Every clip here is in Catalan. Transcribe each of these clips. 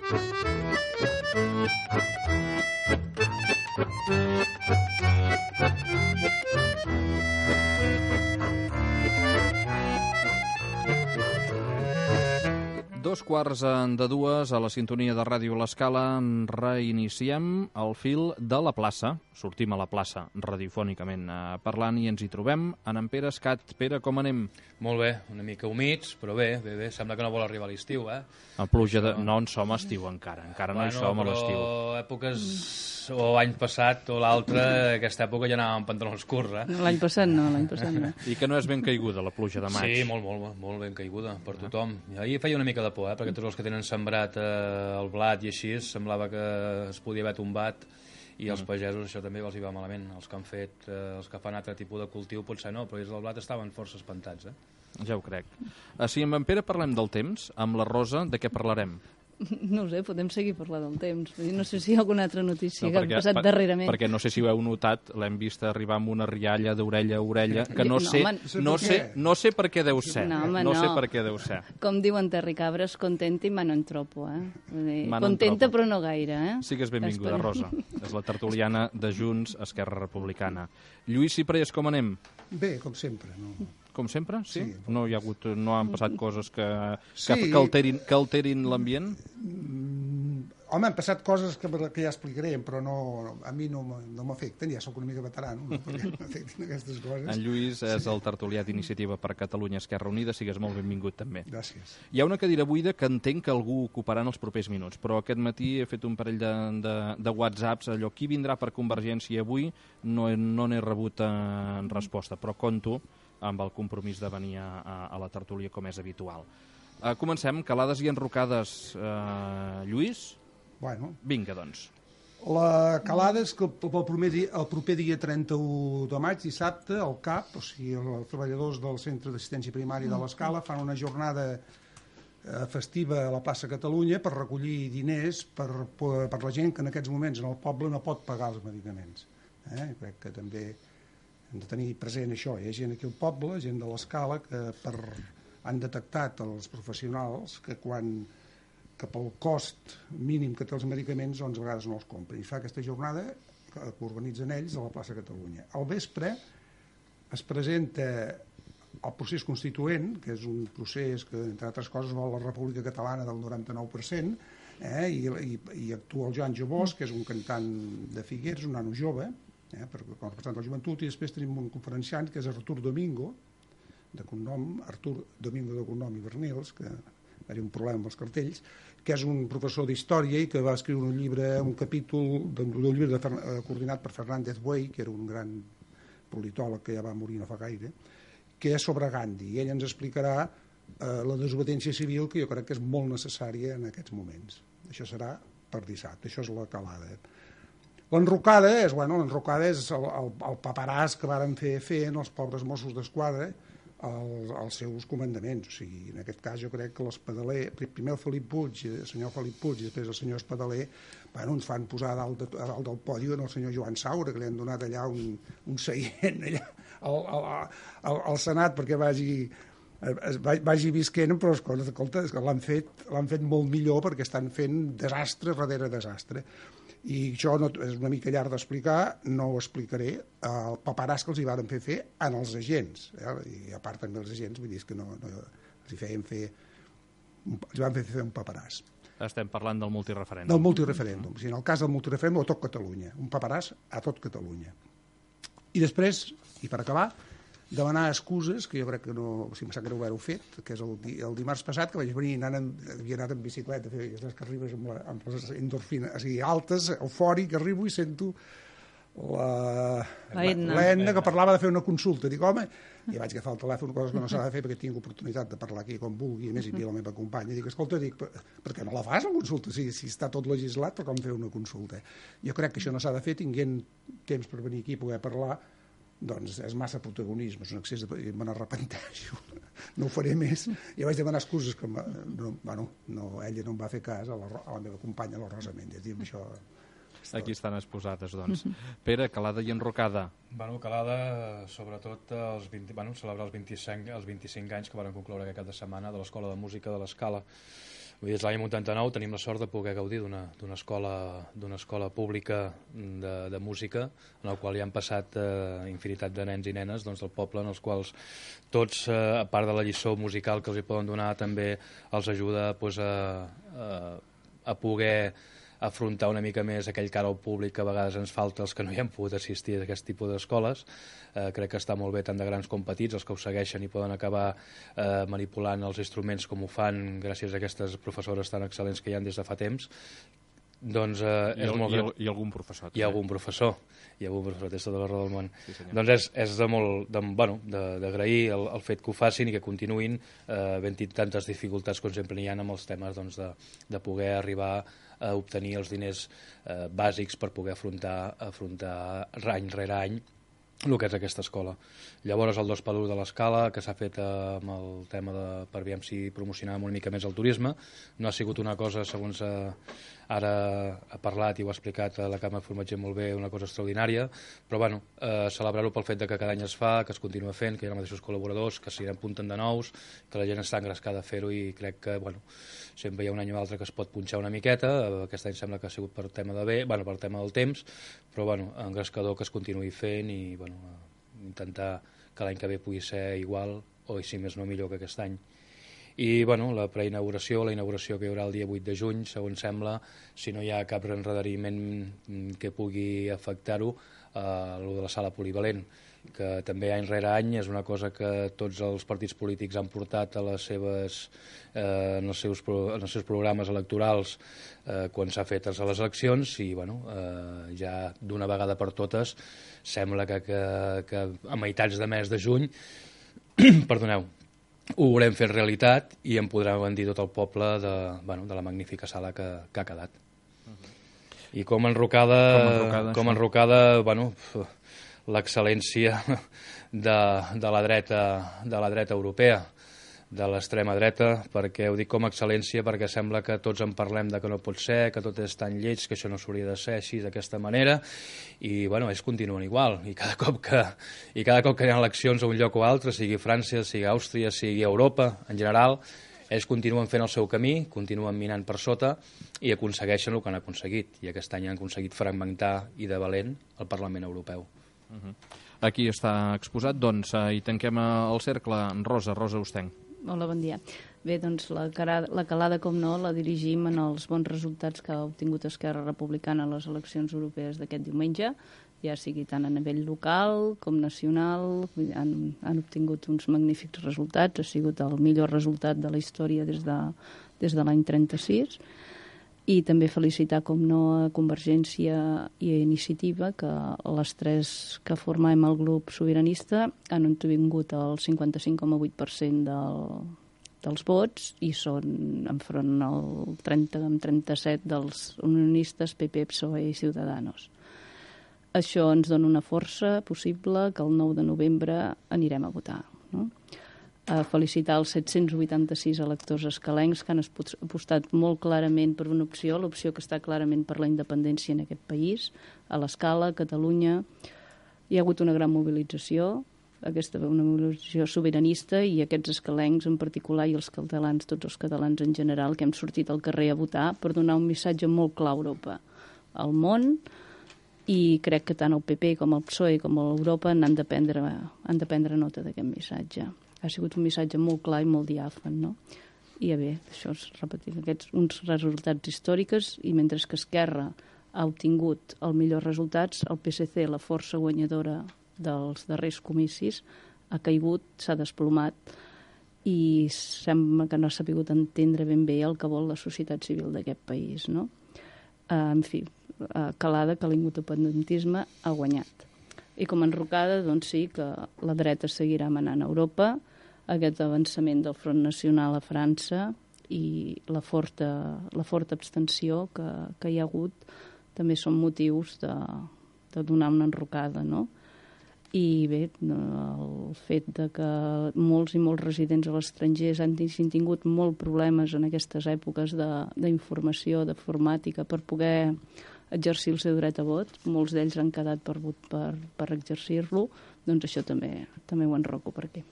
Dos quarts de dues a la sintonia de Ràdio L'Escala. Reiniciem el fil de la plaça. Sortim a la plaça radiofònicament parlant i ens hi trobem en Pere Escat. Pere, com anem? Molt bé, una mica humits, però bé. Sembla que no vol arribar l'estiu, A pluja de... No en som a estiu encara no hi som a l'estiu. Però èpoques, o l'any passat o l'altre, aquesta època ja anàvem amb pantalons curts, L'any passat no. I que no és ben caiguda la pluja de maig. Sí, molt ben caiguda per tothom. Ahir feia una mica de por, perquè tots els que tenen sembrat el blat i així, semblava que es podia haver tombat, i els pagesos això també els hi va malament. Els que han fet, els que fan altre tipus de cultiu potser no, però els del blat estaven força espantats. Ja ho crec. Si amb en Pere parlem del temps, amb la Rosa, de què parlarem? No ho sé, podem seguir parlant del temps. No sé si hi ha alguna altra notícia que ha passat darrerament. Perquè no sé si ho heu notat, l'hem vist arribar amb una rialla d'orella a orella, que no sé per què deu ser. No sé per què deu ser. Com diuen Terry Cabres, contenta i mano en tropo. Contenta però no gaire. Sigues benvinguda, Rosa. És la tertuliana de Junts, Esquerra Republicana. Lluís Ciprés, com anem? Bé, com sempre. Com sempre? Sí? No han passat coses que alterin l'ambient? Home, han passat coses que ja explicarem, però a mi no m'afecten, ja sóc una mica veterà, perquè m'afecten aquestes coses. En Lluís és el tertulià d'Iniciativa per Catalunya Esquerra Unida, sigues molt benvingut també. Gràcies. Hi ha una cadira buida que entenc que algú ocuparà en els propers minuts, però aquest matí he fet un parell de whatsapps, allò, qui vindrà per Convergència avui, no n'he rebut en resposta, però conto amb el compromís de venir a la tertúlia com és habitual. Comencem, calades i enrocades, Lluís? Bueno. Vinga, doncs. La calada és que el proper dia 31 de maig, dissabte, el CAP, o sigui, els treballadors del Centre d'Assistència Primària de l'Escala, fan una jornada festiva a la plaça Catalunya per recollir diners per la gent que en aquests moments en el poble no pot pagar els medicaments. Crec que també hem de tenir present això. Hi ha gent aquí al poble, gent de l'Escala, que han detectat els professionals que pel cost mínim que té els medicaments, doncs a vegades no els compren. I fa aquesta jornada que organitzen ells a la plaça Catalunya. Al vespre es presenta el procés constituent, que és un procés que, entre altres coses, vol la República Catalana del 99%, i actua el Joan Jobós, que és un cantant de Figueres, un nano jove, com a representant de la joventut, i després tenim un conferenciant que és Artur Domingo, Artur Domingo de cognom i Bernils, que va haver un problema amb els cartells, que és un professor d'història i que va escriure un capítol d'un llibre coordinat per Fernández Buey, que era un gran politòleg que ja va morir no fa gaire, que és sobre Gandhi, i ell ens explicarà la desobediència civil, que jo crec que és molt necessària en aquests moments. Això serà per dissabte, això és la calada. L'enrocada és el paperàs que varen fer els pobres Mossos d'Esquadra als seus comandaments. O sigui, en aquest cas jo crec que l'Espadaler, primer el senyor Felip Puig i després el senyor Espadaler, ens fan posar a dalt del pòdio el senyor Joan Saura, que li han donat allà un seient allà al Senat perquè vagi visquent, però escolta, l'han fet molt millor perquè estan fent desastre darrere desastre. I això és una mica llarg d'explicar, no ho explicaré, el paperàs que els hi van fer als agents, i a part també els agents, vull dir que els van fer un paperàs. Estem parlant del multireferèndum. Del multireferèndum, en el cas del multireferèndum a tot Catalunya, un paperàs a tot Catalunya. I després, i per acabar, demanar excuses, que jo crec que no, si em sap greu haver-ho fet, que és el dimarts passat, que vaig venir, havia anat en bicicleta, que arribes amb les endorfines altes, eufòric, arribo i sento l'Edna, que parlava de fer una consulta. Dic, home, i vaig agafar el telèfon, coses que no s'ha de fer perquè tinc oportunitat de parlar aquí com vulgui, a més hi havia la meva companya. Dic, escolta, per què no la fas, la consulta? Si està tot legislat, per com fer una consulta? Jo crec que això no s'ha de fer, tinguent temps per venir aquí i poder parlar, doncs és massa protagonisme, és un excés de... me n'arrepenteixo, no ho faré més. I vaig demanar excuses que ella no em va fer cas, a la meva companya, la Rosa Méndez. Diu, això... Aquí estan exposades, doncs. Pere, calada i enrocada. Calada, sobretot, celebrar els 25 anys que van concloure aquest cap de setmana de l'Escola de Música de l'Escala. Des de l'any 89 tenim la sort de poder gaudir d'una escola pública de música, en la qual hi han passat infinitat de nens i nenes del poble, en els quals tots, a part de la lliçó musical que els hi poden donar, també els ajuda a poder afrontar una mica més aquell cara al públic que a vegades ens falta els que no hi hem pogut assistir a aquest tipus d'escoles. Crec que està molt bé tant de grans com petits, els que ho segueixen i poden acabar manipulant els instruments com ho fan gràcies a aquestes professores tan excel·lents que hi ha des de fa temps. Doncs I algun professor. Hi ha algun professor, té tota la raó del món. Sí, doncs és d'agrair el fet que ho facin i que continuïn havent-hi tantes dificultats com sempre n'hi ha amb els temes de poder arribar a obtenir els diners bàsics per poder afrontar any rere any el que és aquesta escola. Llavors el 2x1 de l'escala, que s'ha fet amb el tema per aviam si promocionàvem una mica més el turisme, no ha sigut una cosa, segons ara ha parlat i ho ha explicat la Carme Formatger molt bé, una cosa extraordinària, però bueno, celebrar-ho pel fet que cada any es fa, que es continua fent, que hi ha els mateixos col·laboradors, que s'hi apunten de nous, que la gent està engrescada a fer-ho i crec que, bueno, sempre hi ha un any o altre que es pot punxar una miqueta, aquest any sembla que ha sigut per tema per tema del temps, però bueno, engrescador que es continuï fent i bueno, intentar que l'any que ve pugui ser igual o si més no millor que aquest any. I bueno, la preinauguració, la inauguració que hi haurà el dia 8 de juny, segons sembla, si no hi ha cap enredariment que pugui afectar-ho, el de la sala polivalent, que també any rere any és una cosa que tots els partits polítics han portat a les seves, en els seus programes electorals quan s'ha fet a les eleccions i bueno, ja d'una vegada per totes sembla que a meitats de mes de juny perdoneu, ho haurem fet realitat i en podrem dir tot el poble de la magnífica sala que ha quedat. I com enrocada, bueno, l'excel·lència de la dreta europea, de l'extrema dreta, perquè ho dic com a excel·lència perquè sembla que tots en parlem de que no pot ser, que tot és tan lleig, que això no s'hauria de ser així d'aquesta manera, i bueno, ells continuen igual, i cada cop que hi ha eleccions a un lloc o altre, sigui França, sigui Àustria, sigui Europa, en general, ells continuen fent el seu camí, continuen minant per sota i aconsegueixen el que han aconseguit, i aquest any han aconseguit fragmentar i de valent el Parlament Europeu. Aquí està exposat, doncs, i tanquem el cercle. Rosa Ostenc. Hola, bon dia. Bé, doncs la calada, com no, la dirigim en els bons resultats que ha obtingut Esquerra Republicana a les eleccions europees d'aquest diumenge, ja sigui tant a nivell local com nacional, han obtingut uns magnífics resultats, ha sigut el millor resultat de la història des de l'any 36, i també felicitar, com no, a Convergència i a Iniciativa, que les tres que formem el grup sobiranista han obtingut el 55,8% dels vots i són enfront el 37 dels unionistes PP, PSOE i Ciudadanos. Això ens dona una força possible que el 9 de novembre anirem a votar, no? A felicitar els 786 electors escalencs que han apostat molt clarament per una opció, l'opció que està clarament per la independència en aquest país, a l'Escala, a Catalunya. Hi ha hagut una gran mobilització, una mobilització sobiranista, i aquests escalencs en particular i els catalans, tots els catalans en general, que hem sortit al carrer a votar per donar un missatge molt clar a Europa, al món, i crec que tant el PP com el PSOE com l'Europa han de prendre nota d'aquest missatge. Ha sigut un missatge molt clar i molt diàfan, no? I bé, això és repetir uns resultats històrics, i mentre que Esquerra ha obtingut els millors resultats, el PSC, la força guanyadora dels darrers comicis, ha caigut, s'ha desplomat, i sembla que no ha sabut entendre ben bé el que vol la societat civil d'aquest país, no? En fi, calada que l'independentisme ha guanyat. I com a enrocada, doncs sí, que la dreta seguirà manant a Europa, aquest avançament del Front Nacional a França i la forta abstenció que hi ha hagut també són motius de donar una enrocada, no? I bé, el fet de que molts i molts residents a l'estranger han tingut molts problemes en aquestes èpoques d'informació, d'informàtica, per poder exercir el seu dret a vot, molts d'ells han quedat per exercir-lo, doncs això també ho enroco per aquí.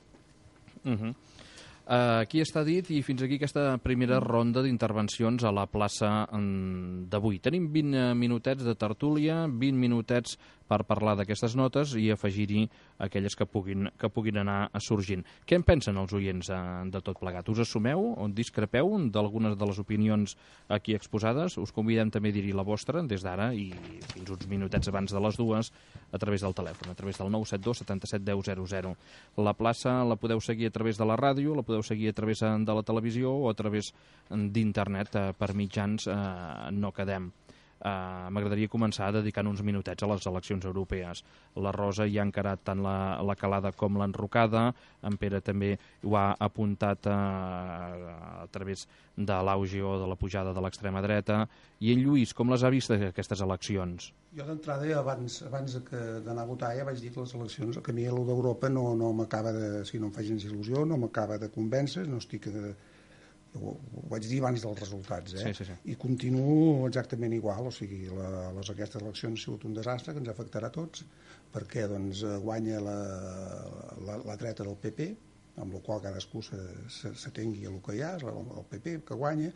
Aquí està dit i fins aquí aquesta primera ronda d'intervencions a la plaça d'avui. Tenim 20 minutets de tertúlia, 20 minutets per parlar d'aquestes notes i afegir-hi aquelles que puguin anar sorgint. Què en pensen els oients de tot plegat? Us assumeu o discrepeu d'algunes de les opinions aquí exposades? Us convidem també a dir-hi la vostra des d'ara i fins uns minutets abans de les 2 a través del telèfon, a través del 972 77 10 00. La plaça la podeu seguir a través de la ràdio, la podeu seguir a través de la televisió o a través d'internet per mitjans No Quedem. M'agradaria començar dedicant uns minutets a les eleccions europees. La Rosa ja ha encarat tant la calada com l'enrocada, en Pere també ho ha apuntat a través de l'auge o de la pujada de l'extrema dreta, i en Lluís, com les ha vist aquestes eleccions? Jo d'entrada, abans d'anar a votar, ja vaig dir que les eleccions, que a mi el d'Europa no m'acaba de, si no em fa gens il·lusió, no m'acaba de convèncer, no estic... Ho vaig dir abans dels resultats, Sí. I continuo exactament igual, o sigui, aquestes eleccions han sigut un desastre que ens afectarà a tots, perquè doncs, guanya la dreta del PP, amb la qual cadascú s'atengui a el que hi ha, és el PP que guanya,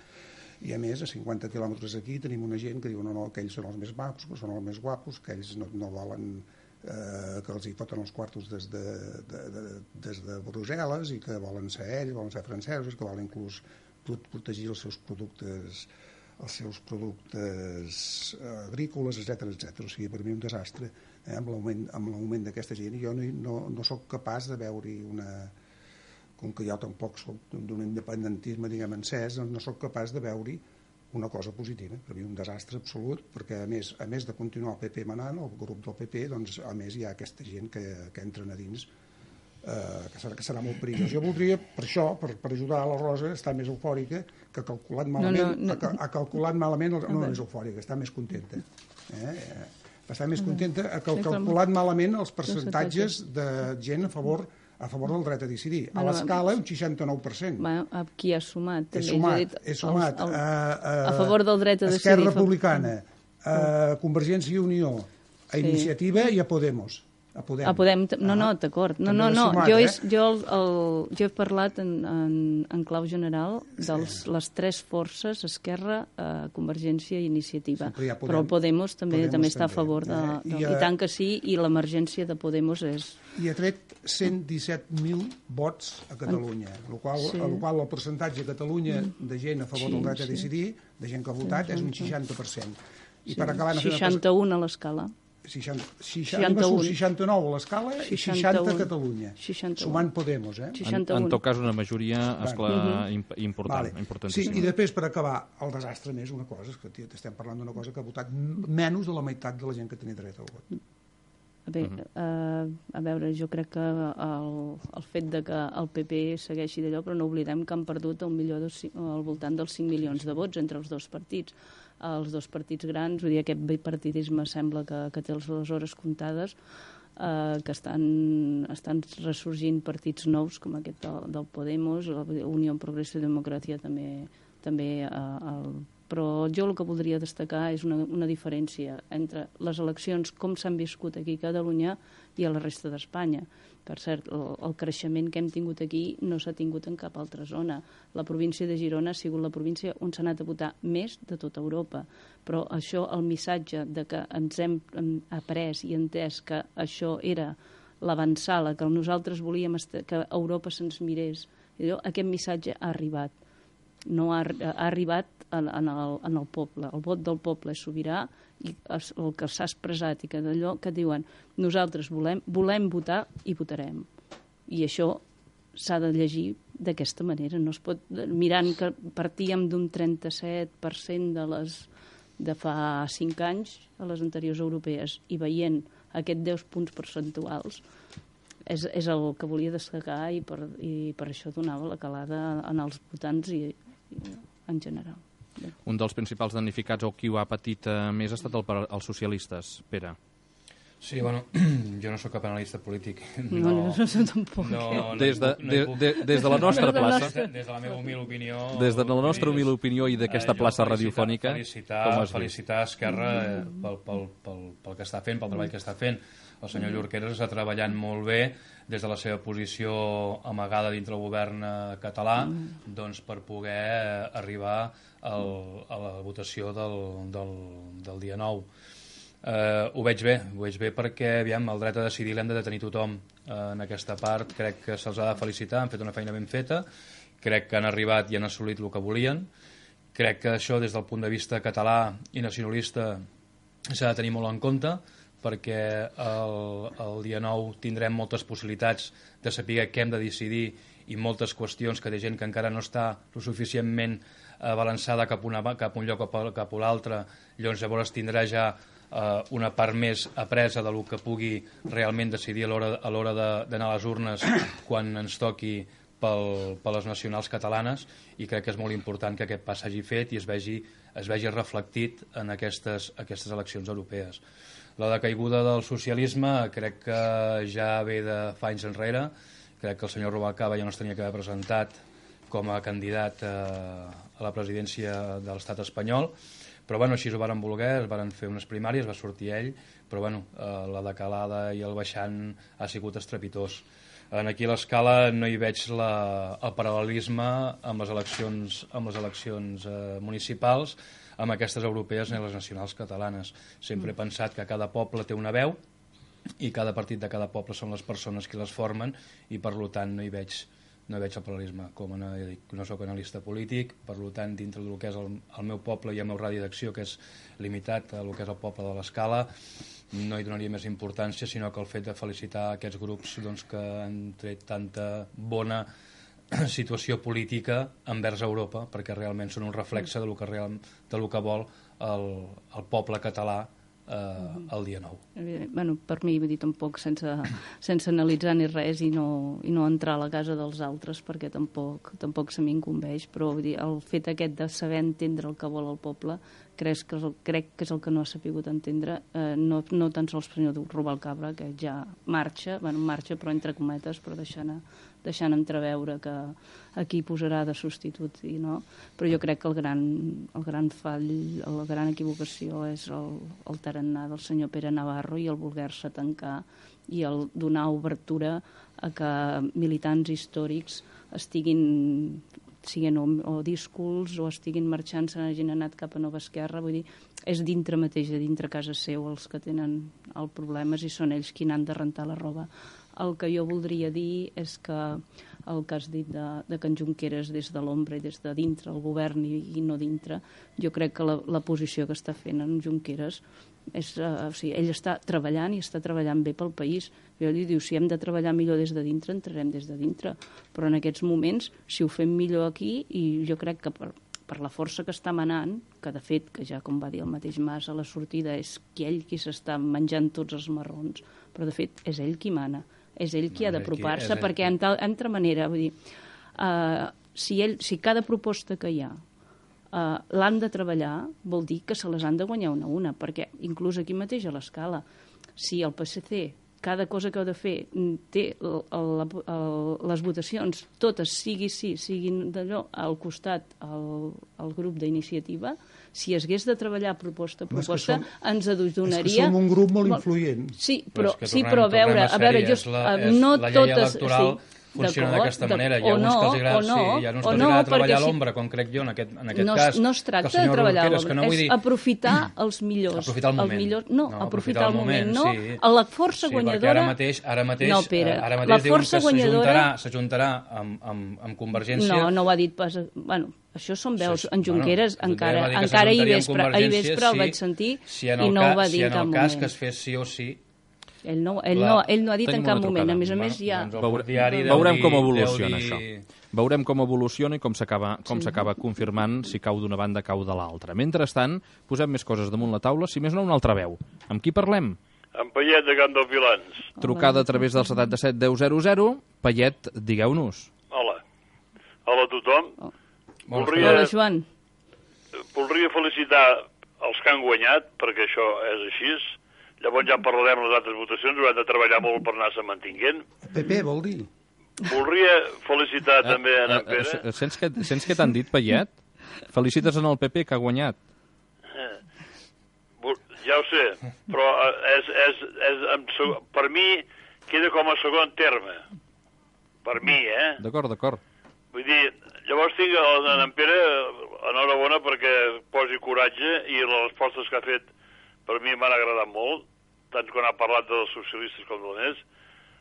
i a més, a 50 quilòmetres d'aquí tenim una gent que diu no, que ells són els més macos, que són els més guapos, que ells no volen que els hi foten els quartos des de Brussel·les i que volen ser ells, volen ser francesos, que volen inclús protegir els seus productes agrícoles, etc. O sigui, per mi un desastre, amb l'augment d'aquesta gent. Jo no soc capaç de veure-hi com que jo tampoc soc d'un independentisme, diguem, encès, no soc capaç de veure-hi una cosa positiva. Per mi un desastre absolut, perquè a més de continuar el PP manant, el grup del PP, doncs a més hi ha aquesta gent que entren a dins, que serà molt perillós. Jo voldria, per això, per ajudar a la Rosa, estar més eufòrica, que ha calculat malament, no més eufòrica, està més contenta. Està més contenta, ha calculat malament els percentatges de gent a favor del dret a decidir. A l'escala, un 69%. Qui ha sumat? He sumat. A favor del dret a decidir. Esquerra Republicana, a Convergència i Unió, a Iniciativa i a Podemos. Podem. No, d'acord. Jo he parlat en clau general de les tres forces, Esquerra, Convergència i Iniciativa. Però Podemos també està a favor i tant que sí, i l'emergència de Podemos és... I ha tret 117.000 vots a Catalunya, el qual el percentatge a Catalunya de gent a favor del dret a decidir, de gent que ha votat, és un 60%. 61 a l'escala. 69 a l'escala i 60 a Catalunya, sumant Podemos. En tot cas, una majoria importantíssima. Sí, i després, per acabar, el desastre més, una cosa, és que estem parlant d'una cosa que ha votat menys de la meitat de la gent que tenia dret al vot. Bé, a veure, jo crec que el fet de que el PP segueixi d'allò, però no oblidem que han perdut al voltant dels 5 milions de vots entre els dos partits. Els dos partits grans, vull dir, aquest bipartidisme sembla que té les hores comptades, que estan ressorgint partits nous, com aquest del Podemos, la Unió Progreso i Democràcia també però jo el que voldria destacar és una diferència entre les eleccions, com s'han viscut aquí a Catalunya i a la resta d'Espanya. Per cert, el creixement que hem tingut aquí no s'ha tingut en cap altra zona. La província de Girona ha sigut la província on s'ha anat a votar més de tota Europa. Però això, el missatge de que ens hem après i entès que això era l'avançada, que nosaltres volíem que Europa se'ns mirés, aquest missatge ha arribat. No ha arribat en el poble. El vot del poble és sobirà i el que s'ha expressat i que d'allò que diuen nosaltres volem votar i votarem. I això s'ha de llegir d'aquesta manera. No es pot, mirant que partíem d'un 37% de fa 5 anys a les anteriors europees i veient aquests 10 punts percentuals, és el que volia destacar i per això donava la calada en els votants i en general. Un dels principals damnificats o qui ho ha patit més ha estat els socialistes, Pere. Sí, bueno, jo no sóc cap analista polític. No tampoc. Des de la nostra plaça, Des de la meva humil opinió... des de la nostra humil opinió i d'aquesta plaça radiofònica, com has vist? Felicitar Esquerra pel que està fent, pel treball que està fent. El senyor Llorqueras està treballant molt bé des de la seva posició amagada dintre el govern català doncs per poder arribar a la votació del dia 9. Ho veig bé perquè aviam, el dret a decidir l'hem de tenir tothom en aquesta part. Crec que se'ls ha de felicitar, han fet una feina ben feta, crec que han arribat i han assolit el que volien. Crec que això des del punt de vista català i nacionalista s'ha de tenir molt en compte, perquè el dia 9 tindrem moltes possibilitats de saber què hem de decidir i moltes qüestions que hi ha gent que encara no està lo suficientment balançada cap a un lloc o cap a l'altre. Llavors tindrà ja una part més apresa del que pugui realment decidir a l'hora d'anar a les urnes quan ens toqui per les nacionals catalanes, i crec que és molt important que aquest pas s'hagi fet i es vegi reflectit en aquestes eleccions europees. La decaiguda del socialisme crec que ja ve de fa anys enrere. Crec que el senyor Rubalcaba ja no es tenia que haver presentat com a candidat a la presidència de l'estat espanyol, però bueno, així ho varen voler, es varen fer unes primàries, va sortir ell, però bueno, la decalada i el baixant ha sigut estrepitós. Aquí a l'Escala no hi veig el paral·lelisme amb les eleccions municipals, amb aquestes europees i les nacionals catalanes. Sempre he pensat que cada poble té una veu i cada partit de cada poble són les persones que les formen, i per tant no hi veig el paral·lelisme. Com no soc analista polític, per tant dintre del que és el meu poble i el meu radi d'acció, que és limitat a el que és el poble de l'Escala, no hi donaria més importància, sinó que el fet de felicitar aquests grups que han tret tanta bona situació política envers Europa, perquè realment són un reflexe del que vol el poble català el dia 9. Bueno, per mi, vull dir, tampoc sense analitzar ni res i no entrar a la casa dels altres, perquè tampoc se m'incumbeix, però vull dir, el fet aquest de saber entendre el que vol el poble crec que és el que no ha sapigut entendre, no tan sols el senyor Rubalcaba, que ja marxa però entre cometes, però deixant entreveure que aquí posarà de substitut, no? Però jo crec que el gran fall, la gran equivocació és el tarannà del senyor Pere Navarro i el voler-se tancar i el donar obertura a que militants històrics siguin o díscols o estiguin marxant, se n'hagin anat cap a Nova Esquerra. Vull dir, és dintre mateix, dintre casa seu, els que tenen els problemes i són ells qui n'han de rentar la roba. El que jo voldria dir és que el que has dit de que en Junqueras des de l'ombra i des de dintre, el govern i no dintre, jo crec que la posició que està fent en Junqueras és, ell està treballant i està treballant bé pel país. Jo li diu, si hem de treballar millor des de dintre, entrarem des de dintre, però en aquests moments, si ho fem millor aquí, i jo crec que per la força que està manant, que de fet, que ja com va dir el mateix Mas a la sortida, és ell qui s'està menjant tots els marrons, però de fet és ell qui mana, és ell qui ha d'apropar-se, perquè en altra manera, vull dir, si cada proposta que hi ha l'han de treballar, vol dir que se les han de guanyar una a una, perquè inclús aquí mateix a l'Escala, si el PSC cada cosa que heu de fer té les votacions totes, siguin d'allò al costat el grup d'iniciativa, si hagués de treballar proposta a proposta, ens adonaria... És que som un grup molt influent. Sí, però a veure, no totes... Funciona d'aquesta manera. Hi ha uns que els agrada treballar a l'ombra, com crec jo en aquest cas. No es tracta de treballar a l'ombra, és aprofitar els millors. Aprofitar el moment. Aprofitar el moment. La força guanyadora... Ara mateix diuen que s'ajuntarà amb Convergència... No ho ha dit pas... Bueno, això són veus. En Junqueras encara ahir vespre el vaig sentir i no ho va dir en cap moment. Si en el cas que es fes sí o sí... Ell no ha dit en cap moment. A més, ja... Veurem com evoluciona això. Veurem com evoluciona i com s'acaba confirmant si cau d'una banda, cau de l'altra. Mentrestant, posem més coses damunt la taula, si més no, una altra veu. Amb qui parlem? Amb Payet, de Can dels Vilans. Trucada a través del 77 10 00. Payet, digueu-nos. Hola a tothom. Hola, Joan. Voldria felicitar els que han guanyat, perquè això és així. Llavors ja parlarem les altres votacions, haurem de treballar molt per anar-se mantinguent. PP vol dir? Voldria felicitar també en Pere. Sents que t'han dit, Payet? Felicites en el PP, que ha guanyat. Ja ho sé, però per mi queda com a segon terme. Per mi, D'acord. Vull dir, llavors tinc en Pere enhorabona perquè posi coratge i les respostes que ha fet per mi m'han agradat molt, tant quan ha parlat dels socialistes com dels més.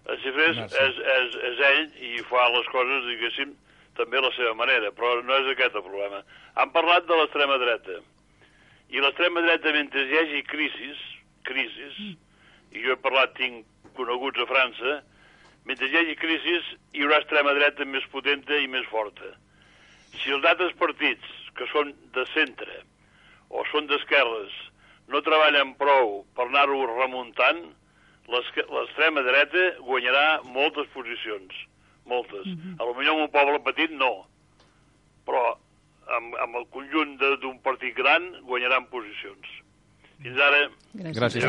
El Cifrés és ell i fa les coses, diguéssim, també a la seva manera, però no és aquest el problema. Han parlat de l'extrema dreta. I l'extrema dreta, mentre hi hagi crisis, i jo he parlat, tinc coneguts a França, mentre hi hagi crisis hi haurà extrema dreta més potenta i més forta. Si els altres partits, que són de centre o són d'esquerres, no treballen prou per anar-ho remuntant, l'extrema dreta guanyarà moltes posicions, moltes. A lo millor en un poble petit no, però amb el conjunt d'un partit gran guanyaran posicions. Fins ara... Gràcies.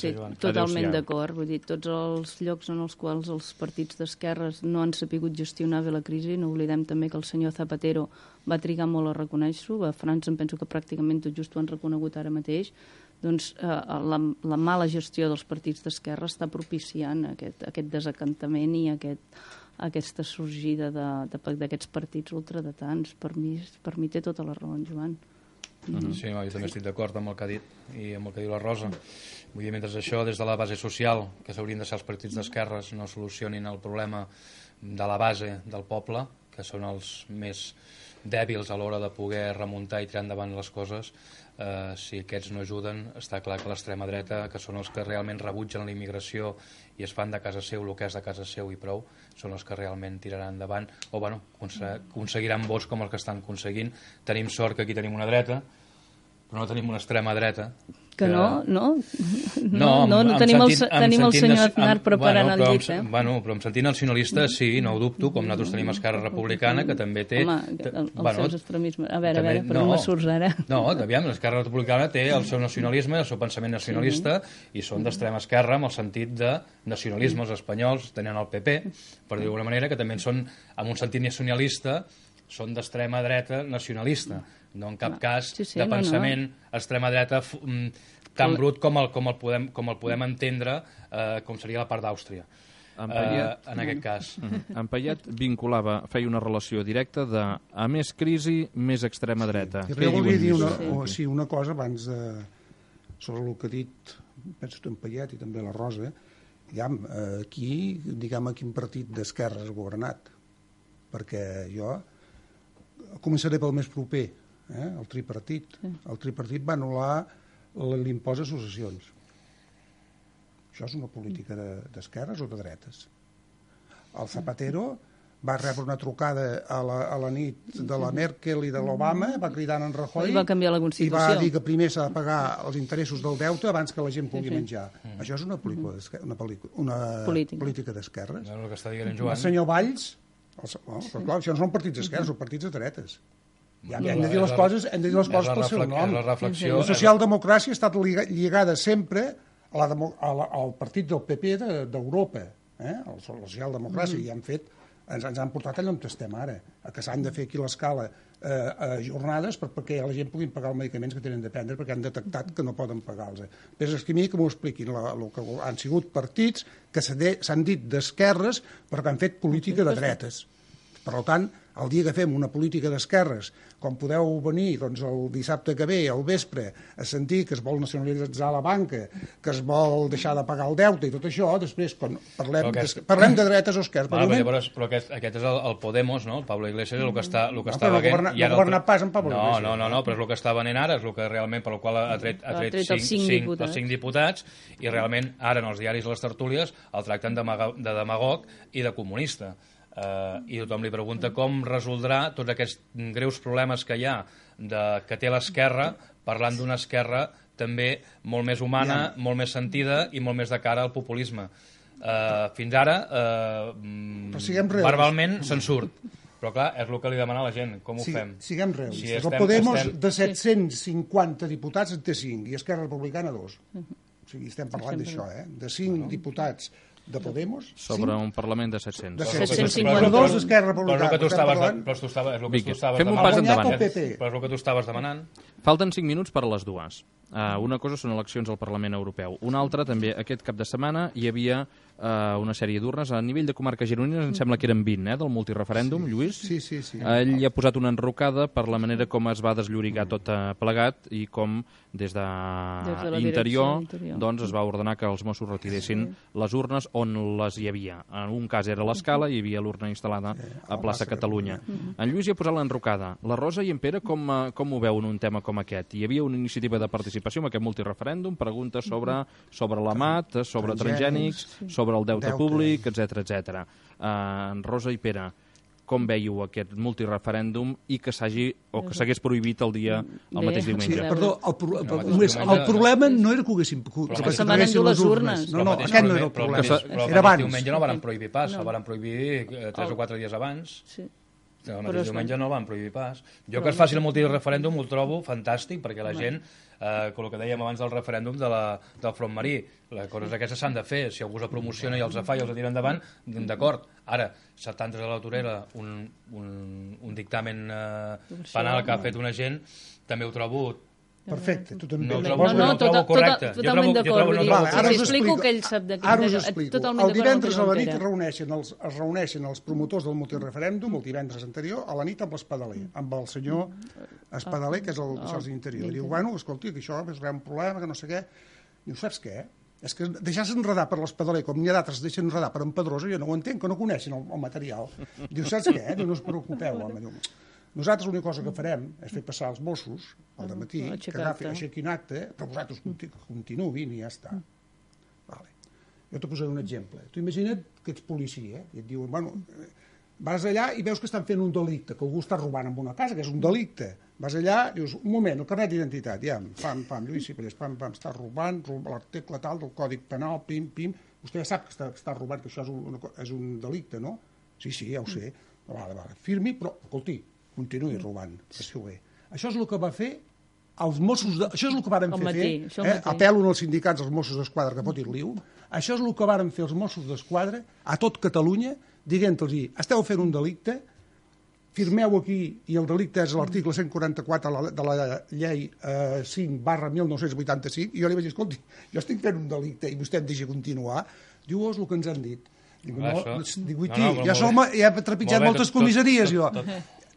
Sí, totalment d'acord. Vull dir, tots els llocs en els quals els partits d'esquerres no han sapigut gestionar bé la crisi, no oblidem també que el senyor Zapatero va trigar molt a reconèixer-ho, a França em penso que pràcticament tot just ho han reconegut ara mateix, doncs la mala gestió dels partits d'esquerra està propiciant aquest desacantament i aquesta sorgida d'aquests partits ultradretans. Per mi té tota la raó en Joan. Sí, jo també estic d'acord amb el que ha dit i amb el que diu la Rosa. Vull dir, mentre això, des de la base social, que s'haurien de ser els partits d'esquerres, no solucionin el problema de la base del poble, que són els més dèbils a l'hora de poder remuntar i tirar endavant les coses, si aquests no ajuden, està clar que l'extrema dreta, que són els que realment rebutgen la immigració i es fan de casa seu el que és de casa seu i prou, són els que realment tiraran endavant o aconseguiran vots com els que estan aconseguint. Tenim sort que aquí tenim una dreta, però no tenim una extrema dreta. Que no tenim el senyor Aznar preparant el llit, Però em sentint nacionalista, sí, no ho dubto, com nosaltres tenim Esquerra Republicana, que també té... Home, els seus extremismes... A veure, però no me surts ara. No, aviam, l'Esquerra Republicana té el seu nacionalisme, el seu pensament nacionalista, i són d'extrema esquerra amb el sentit de nacionalisme. Els espanyols tenen el PP, per dir d'alguna manera, que també són, amb un sentit nacionalista, són d'extrema dreta nacionalista, no en cap cas de pensament extrema dreta tan brut com el podem entendre com seria la part d'Àustria en aquest cas. En Payet feia una relació directa de a més crisi, més extrema dreta. Jo volia dir una cosa abans sobre el que ha dit, penso en Payet i també la Rosa. Aquí, diguem, quin partit d'esquerra has governat? Perquè jo començaré pel més proper, el tripartit. El tripartit va anul·lar l'impost a successions. Això és una política d'esquerres o de dretes? El Zapatero va rebre una trucada a la nit de la Merkel i de l'Obama, va cridar en Rajoy i va canviar la Constitució. I va dir que primer s'ha de pagar els interessos del deute abans que la gent pugui menjar. Això és una política d'esquerres. És el que està dient en Joan. El senyor Valls, però clar, això no són partits d'esquerres, són partits de dretes. Hem de dir les coses pel seu nom. La socialdemocràcia ha estat lligada sempre al partit del PP d'Europa, la socialdemocràcia, i ens han portat allà on estem ara, que s'han de fer aquí a l'escala jornades perquè la gent pugui pagar els medicaments que tenen de prendre perquè han detectat que no poden pagar-los. Però és que a mi que m'ho expliquin, el que han sigut partits que s'han dit d'esquerres però que han fet política de dretes. Per tant, el dia que fem una política d'esquerres, com podeu venir doncs, el dissabte que ve, al vespre, a sentir que es vol nacionalitzar la banca, que es vol deixar de pagar el deute i tot això, després, quan parlem de dretes o esquerres... Però aquest és el Podemos, no? El Pablo Iglesias és el que està venent... No ha governat pas en Pablo Iglesias. No, però és el que està venent ara, és el que realment, per el qual ha tret els 5 diputats, i realment ara en els diaris i les tertúlies el tracten de demagog i de comunista. I tothom li pregunta com resoldrà tots aquests greus problemes que hi ha que té l'esquerra, parlant d'una esquerra també molt més humana, molt més sentida i molt més de cara al populisme. Fins ara, verbalment se'n surt. Però clar, és el que li demana la gent. Com ho fem? Siguem realistes. El Podemos de 750 diputats en té 5 i Esquerra Republicana 2. O sigui, estem parlant d'això, de 5 diputats de Podemos... Sobre un Parlament de 700. De 752 d'Esquerra Republicana. Però és el que tu estaves Fem un pas endavant. Però és el que tu estaves demanant. Falten 5 minuts per a les dues. Una cosa són eleccions al Parlament Europeu. Una altra, també, aquest cap de setmana hi havia una sèrie d'urnes. A nivell de comarques gironines, em sembla que eren 20, del multireferèndum, Lluís. Sí. Ell hi ha posat una enrocada per la manera com es va desllorigar tot plegat i com des d'Interior doncs, es va ordenar que els Mossos retiressin les urnes on les hi havia. En un cas era l'Escala i hi havia l'urna instal·lada a plaça Catalunya. En Lluís hi ha posat l'enrocada. La Rosa i en Pere com ho veuen un tema com aquest? Hi havia una iniciativa de participació en aquest multireferèndum, preguntes sobre la MAT, sobre transgènics, sobre el deute públic, etc. En Rosa i Pere, com veieu aquest multireferèndum i que s'hagués prohibit el mateix diumenge? Perdó, el problema no era que ho haguéssim... Que se van endur les urnes. No, aquest no era el problema. Era abans. El diumenge no el van prohibir pas, el van prohibir 3 o 4 dies abans. Sí. El mateix diumenge no el van prohibir pas. Jo que es faci el multireferèndum ho trobo fantàstic, perquè la gent, com el que dèiem abans del referèndum del front marí, les coses aquestes s'han de fer. Si algú els promociona i els fa i els tira endavant, d'acord. Ara, s'ha tantes a la torera un dictamen penal que ha fet una gent, també ho trobo... Perfecte, tu també. No ho trobo correcte. Totalment d'acord. Si explico que ell sap de què... Ara us explico. El divendres a la nit es reuneixen els promotors del multireferèndum, el divendres anterior, a la nit amb l'Espadaler, amb el senyor Espadaler, que és el d'Interior. Diu, bueno, escolti, que això és un problema, que no sé què. Diu, saps què? És que deixar-se enredar per l'Espadaler, com n'hi ha d'altres deixen enredar per en Pedrosa, jo no ho entenc, que no coneixen el material. Diu, saps què? Diu, no us preocupeu, home. Diu, nosaltres l'única cosa que farem és fer passar els Mossos al dematí, que aixequin acte, però vosaltres continuïn i ja està. Vale. Jo t'ho posaré un exemple. Tu imagina't que ets policia i et diuen, bueno, vas allà i veus que estan fent un delicte, que algú està robant en una casa, que és un delicte. Vas allà, dius, un moment, el carnet d'identitat, ja, pam, Lluís Cipellers, pam, està robant, l'article tal del Codi Penal, pim, vostè ja sap que està robant, que això és un delicte, no? Sí, ja ho sé. Vale, firmi, però, escolti, continuï robant, passeu bé. Això és el que va fer els Mossos... Això és el que varen fer. Apel·lo als sindicats dels Mossos d'Esquadra que fotin liu. Això és el que varen fer els Mossos d'Esquadra a tot Catalunya, dient-los, esteu fent un delicte, firmeu aquí, i el delicte és l'article 144 de la llei 5/1985, i jo li vaig dir, escolti, jo estic fent un delicte i vostè em deixa continuar. Diu, és el que ens han dit. Dic, ja he trepitjat moltes comissaries, jo.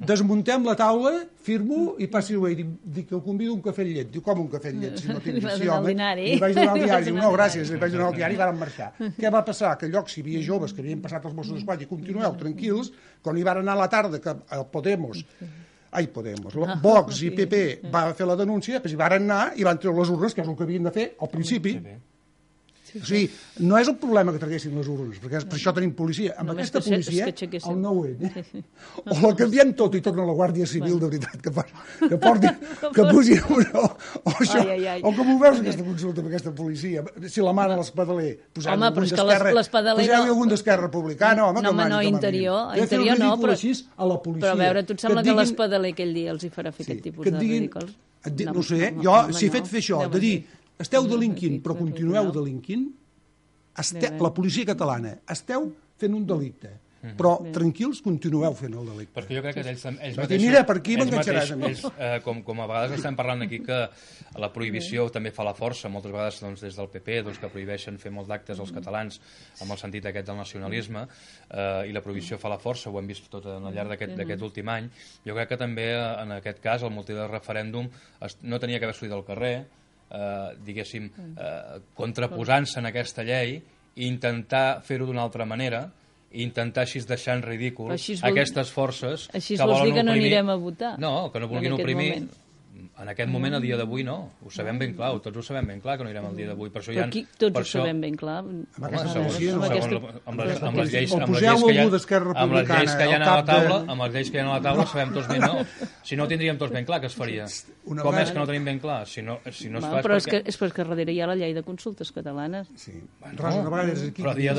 Desmuntem la taula, firmo i passi away. Dic que el convido a un cafè amb llet. Diu, com un cafè amb llet? Si no tinc sí, home. I vaig donar el diari. Diu, no, gràcies, li vaig donar el diari i varen marxar. Què va passar? Que llocs hi havia joves que havien passat els Mossos d'Esquadra i continueu tranquils, quan hi van anar a la tarda que el Podemos, Vox i PP va fer la denúncia, després hi van anar i van treure les urnes, que és el que havien de fer al principi. O sigui, no és el problema que traguessin les urnes, perquè per això tenim policia. Amb aquesta policia, el 9-N, o la canviem tot i torna a la Guàrdia Civil, de veritat, que pusin una... O com ho veus, aquesta consulta amb aquesta policia? Si la mana l'Espadaler, poseu-hi algun d'Esquerra Republicana, home, que mani. No, Interior no, però a veure, tu et sembla que l'Espadaler aquell dia els hi farà fer aquest tipus de ridículs? No sé, jo, si he fet fer això, de dir... Esteu delinquint, però continueu delinquint, la policia catalana, esteu fent un delicte, però tranquils, continueu fent el delicte. Perquè jo crec que ells mateixos... Mira, per aquí m'enganxaràs a mi. Com a vegades estem parlant aquí que la prohibició també fa la força, moltes vegades des del PP, que prohibeixen fer molts d'actes als catalans amb el sentit aquest del nacionalisme, i la prohibició fa la força, ho hem vist tot al llarg d'aquest últim any. Jo crec que també, en aquest cas, el multireferèndum no tenia que haver sortit al carrer, diguéssim, contraposant-se en aquesta llei i intentar fer-ho d'una altra manera, i intentar així deixar en ridícul aquestes forces que volen oprimir... Així vols dir que no anirem a votar? No, que no vulguin oprimir... En aquest moment, a dia d'avui, no. Ho sabem ben clar, tots ho sabem ben clar, que no anirem al dia d'avui. Però aquí tots ho sabem ben clar. Amb les lleis que hi ha a la taula, sabem tots ben, no. Si no, tindríem tots ben clar que es faria. Com és que no tenim ben clar? Però és que darrere hi ha la llei de consultes catalanes. Però a dia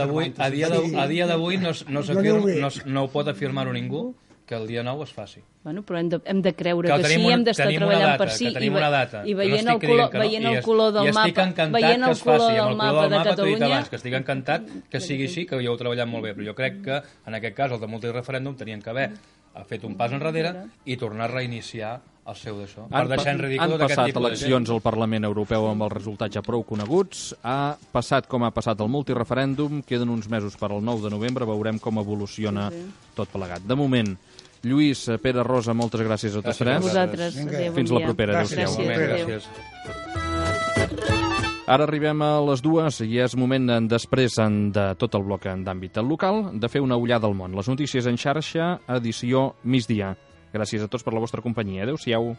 d'avui no ho pot afirmar-ho ningú, que el dia 9 es faci. Bueno, però hem de creure Que que sí, tenim hem d'estar tenim una treballant data, per sí, que tenim una data, i que no veient estic el color, dient que no, veient el i color del i estic mapa, encantat veient que el es faci, color amb del el color mapa del de mapa t'ho he dit Catalunya... abans, que estic encantat que sigui així, que ho heu treballat molt bé, però jo crec que en aquest cas el de multireferèndum tenien que haver fet un pas enrere i tornar a reiniciar el seu d'això, per deixar en ridícul d'aquest passat tipus de eleccions gent. al Parlament Europeu amb els resultats ja prou coneguts, ha passat com ha passat el multireferèndum, queden uns mesos per al 9 de novembre, veurem com evoluciona tot plegat. De moment, Lluís, Pere, Rosa, moltes gràcies a tots tres. A vosaltres. Adéu, bon Fins la dia. propera. Gràcies. Adéu-siau. Gràcies. Ara arribem a les 2 i és moment, després de tot el bloc d'àmbit local, de fer una ullada al món. Les notícies en xarxa, edició migdia. Gràcies a tots per la vostra companyia. Adéu-siau.